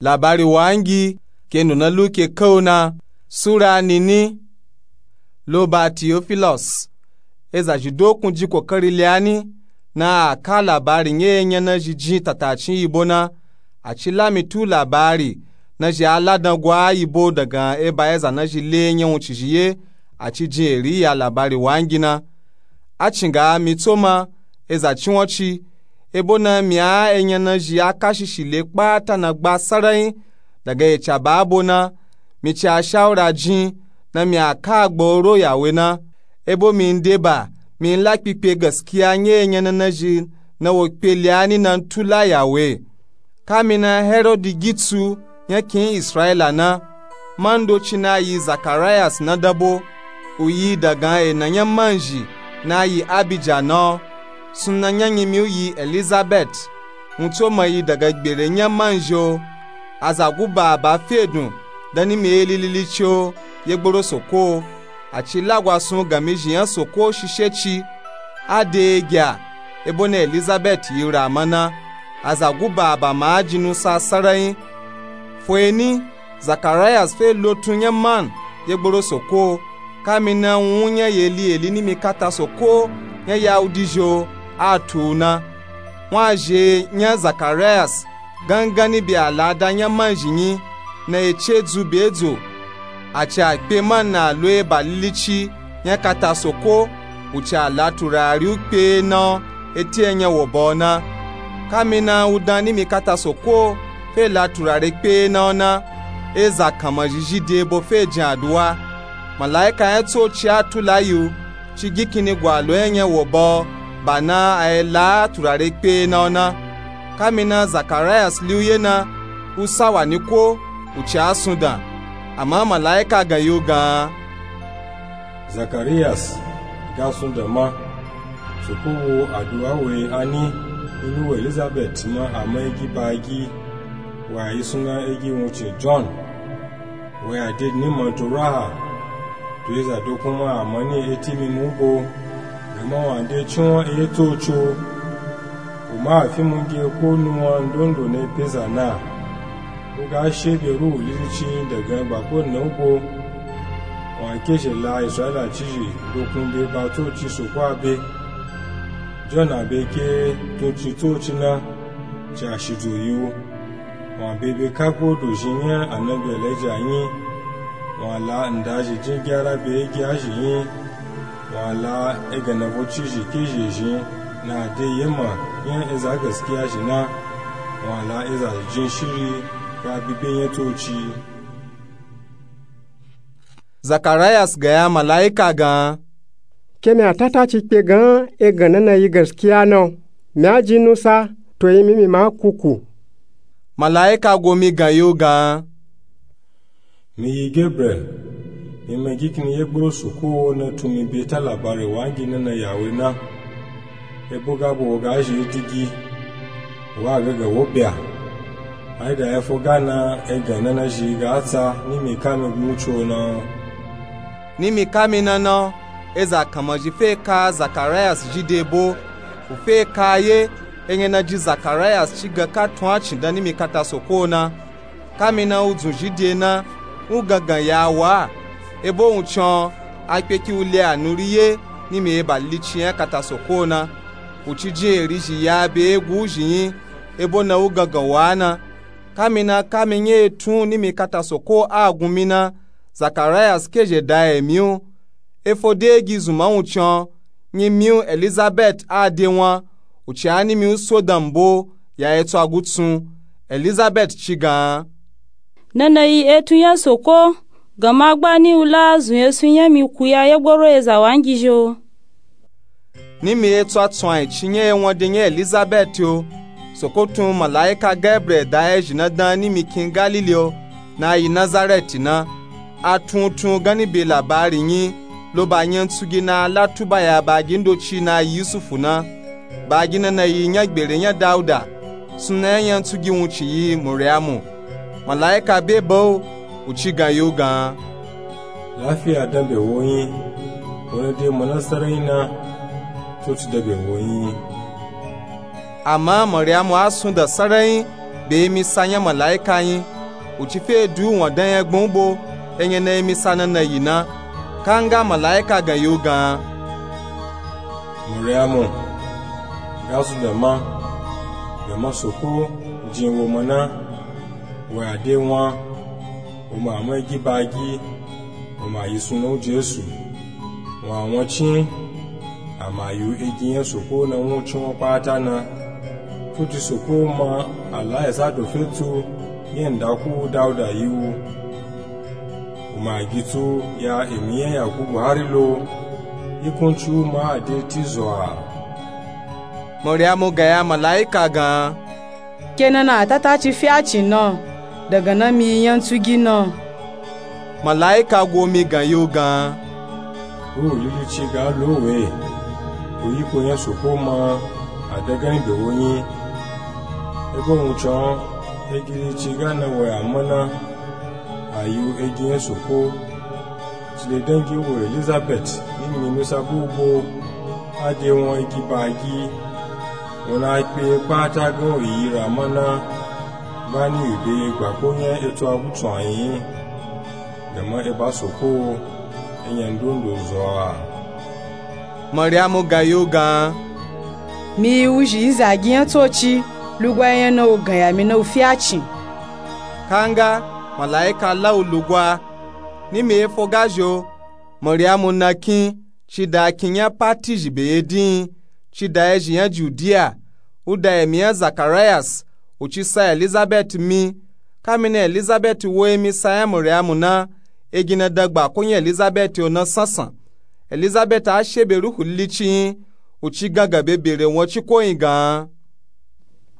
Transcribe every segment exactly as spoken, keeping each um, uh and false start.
Labari wangi ke nuna luke kauna. Sura nini. Lo ba teofilos, eza zhi dokun ji kokari liani na a ka labari nya enya na zhi jin tatacin yibo na. A ci lami tu labari na zhi a ladan gwa yibo dagan eba eza na zhi le nya wuncin zhi ye. A ci jin eri ya labari wangi na. A cinga mi tsoma eza cinwanci, ebo na mi a enya na zhi a kashishi le kpata na gba sarayin. Daga ecaba abo na mi ci a shawura jin na mi a ka agba oro yawe na. Ebo mi ndeba mi nla kpikpe gaskiya nya enya na na zhi na wo kpe liani na ntu la yawe. Kamina herodi gitsu nya kin israyila na, man doci na yi zakarayas na dabo. U yi dagan ena nya man zhi na yi abija na o. Suna nya nyimi u yi elizabet. Wuntso ma yi daga gbere nya man zhi o. Aza guba aba fedun dan ni mi eli lilici o yegboro soko o. A ci lagwasun gami zhi nya soko shishe ci. A de egya ebo na elizabet yi rama na. Aza guba aba ma a jin nusa sarayin. Foeni zakarayas fe lotun nya man yegboro soko o. Kamina wun nya yeli eli ni mi kata soko nya yahudi zhi o. A tu u na wun a zhe nya zakarayas gangani be alada nya man zhi nyi na ece dzu be dzo. A ci a kpe man na lo eba lilici nya kata soko. U ci a la turari u kpe na o eti enya wo ba o na. Kamina u dan ni mi kata soko o fe la turare kpe na o na. Eza kanma zhi zhi de ebo fe jin aduwa. Malaika nya tsoci a tu la yi u ci gikinni gwa lo enya wo ba o. Ba na a yi la turare kpe na o na. Kamina zakarayas li u ye na u sawa ni ko u ci a sundan. Ama malaika gan yi u gan. Zakarayas ga sundan ma. Soko wo aduwa we ani inu we elizabet ma ama egi ba agi. Wa yi suna egi wuncin john. Wa ya de ni ma to raha to eza dokun ma ama ni eti mi mu bo. Gama wa de cinwan eye tsoci o. U ma a fi munge ko nuwan ndondo na peza na. U ga she be ruhu lilici dagan gbako na u bo. Wa ke zhe la israyila ci zhi dokun be ba tsoci soko a be. John a be ke tun ci tsoci na. Ci a shi dzo yi u. Wa be be kagbo dozhin nya anabi elija nyi. Wa la nda zhi jin gyara be egi a zhi nyi. Wa la eganavo ci zhi ke zhi zhin na de yema nya eza gaskiya zhi na. Wa la eza zhi jin shiri ga bi be nya tsoci. Zakarayas ga ya malaika gan. Ke mi a tata ci kpe gan egan na na yi gaskiya na o. Mi a jin nusa to yi mi mi ma kuku. Malaika go mi gan yi u gan. Mi yi gabriel. Mi ma gikinni yegboro soko o na tun mi be ta labari wangi na na yawe na. Ebo ga bo wo ga zhi digi. Wa ga ga wo bia. Ai da ya fo ga na egan na na zhi ga tsa ni mi ka mi gun tso na. Ni mi ka mi na na eza kanma zhi fe ka zakarayas zhi de bo. U fe ka ye enya na ji zakarayas ci ga ka tun a cin dan ni mi kata soko o na. Kamina u dzun zhi de na u gangan ya wa. Ebo wuncin a kpe ki u le anuri ye ni mi eba lilici nya kata soko o na. U ci jin eri zhi ya be egu u zhi nyi. Ebo na u gangan wa na. Kamina ka mi nya etun ni mi kata soko a gun mi na. Zakarayas ke zhe da emi u. Efo de egi zunma wuncin nyi mi u elizabet a de wan. U ci a ni mi u so dan mbo ya etso agutsun. Elizabet ci gan. Na na yi etun nya soko. Gama gba ni u la zun esun nya mi ku ya yegboro eza wangi zhi o. Ni mi etso atsun a yi ci nya ewan de nya elizabet o. Soko tun malaika gabriel da ezhi na dan ni mi kin galili o. Na yi nazareti na. A tun tun gan ni be labari nyi. Lo ba nyantsugi na a la tuba ya bagi ndoci na yi yusufu na. Bagi na na yi nya gbere nya dauda. Suna nya nyantsugi wuncin yi muriamu. Malaika be ba u. U ci gan yi u gan. Lafiya dan be wo nyi. Wo na de mana sarayin na. Tsoci dan be wo nyi. Ama muriamu a sundan sarayin. be emisa nya malaika nyi, u ci fe du u wanda nya gbun u bo, enya na emisa na na yi na. Kanga malaika gan yi u gan, Mariamu, ga zun dama, dama soko jin wo mana, wo ya de wan, wo ma a ma egi ba gi, wo ma yi sunan u Jesu. Wa wan cin, a ma yi u egi nya soko na wun cin wan kpata na. Tuti soko ma a la eza do fe tu nya ndaku u dauda yi u. U ma gi tu ya emi nya ya gugu hari lo, ikun ci u ma a de ti zo a. Mariamu gan ya malaika gan, ke na na a tata ci fe a cin na, daga na mi yi nya ntu gi na. Malaika go mi gan yi u gan, u lili ci ga lo we, u yi ko nya soko ma a dagani be wo nyi. Ebo wun cin, egi ci ga na wo ya mana, a yi u egi nya soko. Ci le dangi wo Elizabet ni mi nusa bu u bo, a de wan egi ba gi. Wo na kpe kpata gan u yi ra mana, ba ni u be gbako nya etu a gutu a nyi, dama eba soko, enya ndondo zo a. Mariamu gan yi u gan, mi yi u zhi yi za gi nya tsoci, lugwa enya na u gan ya mi na u fe a cin. Kanga malaika la u lugwa, ni mi efo ga zho, Mariamu na kin, ci da kin nya pati zhi be ye din, ci da ezhi nya Judiya, u da emi nya Zakarayas, u ci sa Elizabet mi. Ka mi na Elizabet wo emisa nya Mariamu na, egi na dagba ko nya Elizabet o na sansan. Elizabet a she be Ruhu Lili ci nyi, u ci gangan be bere wan ciko nyi gan,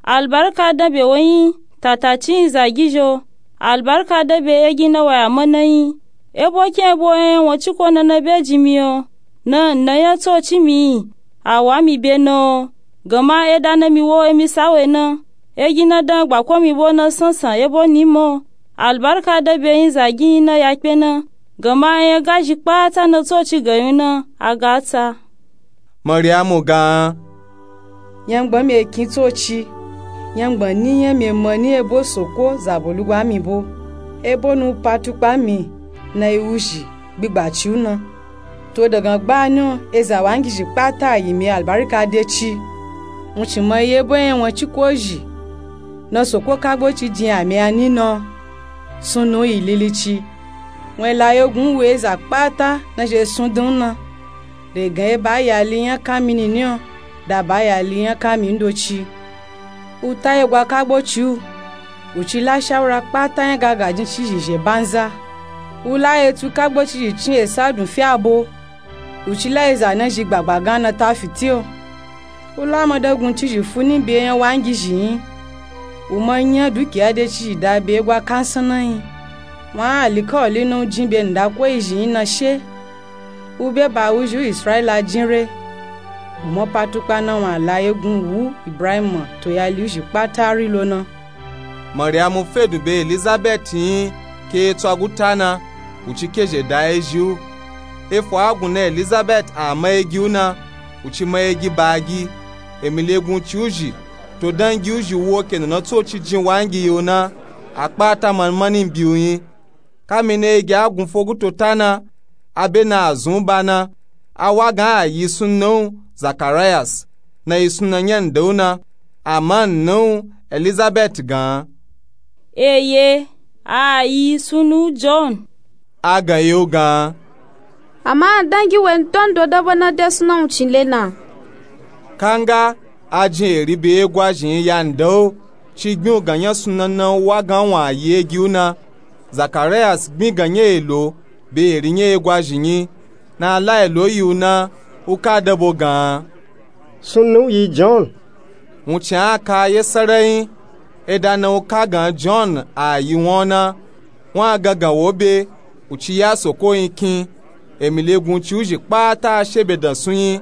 Albarka dan be wo nyi, tata ci nyi za gi zho, albarka dan be egi na wa ya mana nyi. Ebo ken ebo enya wan ciko na na be jin mi o, na nna nya tsoci mi yi, a wa mi be na o. Gama eda na mi wo emisa we na, egi na dan gbako mi bo na sansan ebo ni mo. Albarka dan be nyi za gi nyi na ya kpe na, gama enya ga zhi kpata na tsoci gan yi u na, a ga ta. Mariamu gan, nyangban mi e kin tsoci, nyangban ni nya mi e ma ni ebo soko zabo lugwa mi bo. Ebo nu u pa tukpa mi na yi u zhi gbigba ci u na. To dagan gba ni o, eza wangizhi kpata a yi mi albarka de ci. Wun cin ma yi ebo enya wan ciko zhi, na soko kagbo ci jin a mi a ni na o. Sunnu u yi lili ci, wun e la yegun u we eza kpata na zhi e sundun u na. Re gan eba yali nya kan mi nini o, da ba yali nya kan mi ndoci. U ta yegwa kagbo ci u, u ci la shawura kpata nya ga gajin cizhi zhe banza. U la etu kagbo cizhi cin esa dun fi abo, u ci la eza na zhi gbagba gan na ta fiti o. U la madagun cizhi fu ni be enya wangizhi nyi. U ma nya dukiya de cizhi da be egwa kansan na nyi. Wan alikawali na u jin be nda ko izhi nyi na she. U be ba uzhi u Israila jin re. U ma pa tukpa na wan a la yegun u wu Ibrahim to yali uzhi kpata ri lo na. Mariamu fe dun be Elizabet nyi ke etu aguta na, u ci kezhe da ezhi u. Efo a gun na Elizabet a ma egi u na, u ci ma egi ba gi. Emi legun ci uzhi, to dangi uzhi wo ke na na tsoci jin wangi yi u na, a kpata manmani bi u nyi. Ka mi na egi a gun fogu to ta na, a be na a zun u ba na, a wa gan a yi sunnan u Zakarayas, na yi sunnan nya nda u na. Ama nna u Elizabet gan, eye, a yi sunnan u John. A gan yi u gan, ama dangi we ndondo da bo na de sunnan u cin le na. Kanga a jin eri be egwazhi nyi ya nda u, ci gbin u gan nya sunnan na u wa gan wan a yi egi u na. Zakarayas gbin gan nya elo be eri nya egwazhi nyi, na a la elo yi u na, u ka da bo gan, sunnan u yi John. Wun cin a ka ye sarai nyi, eda na u ka gan John a yi wan u na, wan a gangan wo be, u ci ya soko nyi kin. Emi legun ci uzhi kpata a she be dan sun nyi.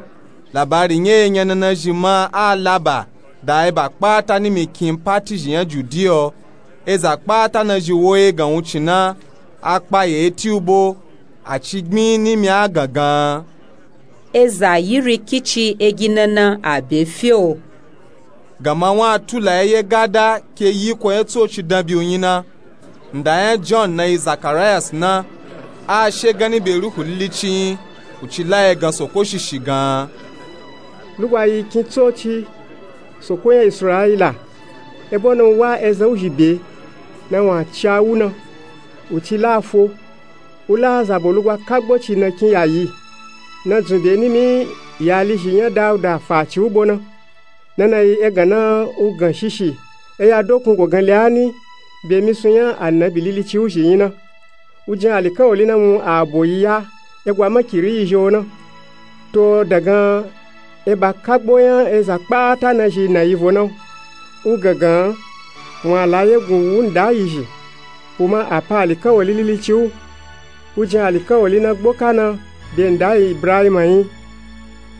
Labari nya enya na na zhi ma a laba da eba kpata ni mi kin pati zhi nya Judiya o. Eza kpata na zhi wo egan wun cin na, a kpa ye eti u bo, a ci gbin ni mi a gangan, eza yiri kici egi na na a be fi o. Gama wun a tula ye ye gada ke yiko nya tsoci danbyi u nyi na. Nda nya john na yi zakarayas na. A she ganni be ruhu lilici nyi. U ci la ye gan soko shishi gan. Lugwa yi kin tsoci, soko nya israyila. Ebo na u wa ezan u zhi be, na wun a ci a wu na. U ci la fo. U la zabo lugwa kagbo ci na kin yayi. Na dzun be nimi yalizhi nya dauda fa ci u bo na. Na na yi egan na u gan shishi. Eya dokun go gan le a ni. Be misun nya annabi lilici u zhi nyi na. U jin alikawali na wun a bo yi ya. Egwa makiri yi zhi o na. To dagan eba kagbo nya eza kpata na zhi na yi vo na. U gangan wun a la yegun wu nda yi zhi. U ma a pa alikawali lilici u. U jin alikawali na gboka na be nda yi ibrahima nyi.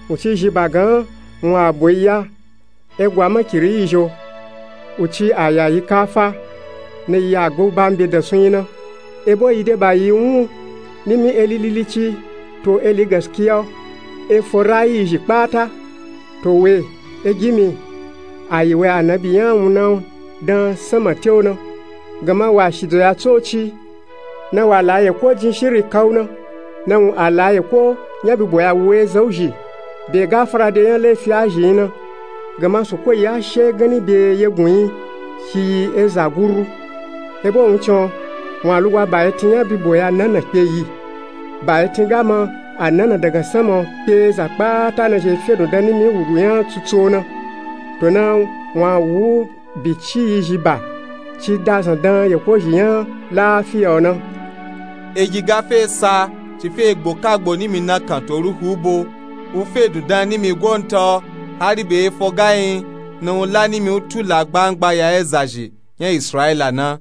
U ci zhi ba gan wun a bo yi ya. Egwa makiri yi zhi o. U ci a yayi kafa. Na yi a gbo ba mbe dansun nyi na. Ebo yi de ba yi wun nimi eli lilici to eli gaskiya o. Efo rayi yi zhi kpata. To we, egimi, a yi we annabi nya wun na dan sanma te u na. Gama wa shido ya tsoci. Na wa la yeko jin shiri ka u na. Na wun a la yeko nya bibo ya wu ezan u zhi. Be gafara de nya lefi a zhi nyi na. Gama soko yi a she ganni be yegun nyi. Shi yi eza guru. Ebo wun cin o, wun a lugwa ba etin nya bibo ya nana kpe yi. Ba etin gama a nana dagan sanma o kpe eza kpata na zhi fedun dan nimi wuru nya tsutsu o na. To na wun a wu bici yi zhi ba. Ci dazan dan yeko zhi nya lafiya o na. Egi ga fe sa ci fe gbo kagbo nimi na kan to ruhu u bo. U fedun dan nimi go nta o. Hari be efo ga nyi na u la nimi u tula gbangba ya eza zhi nya israyila na.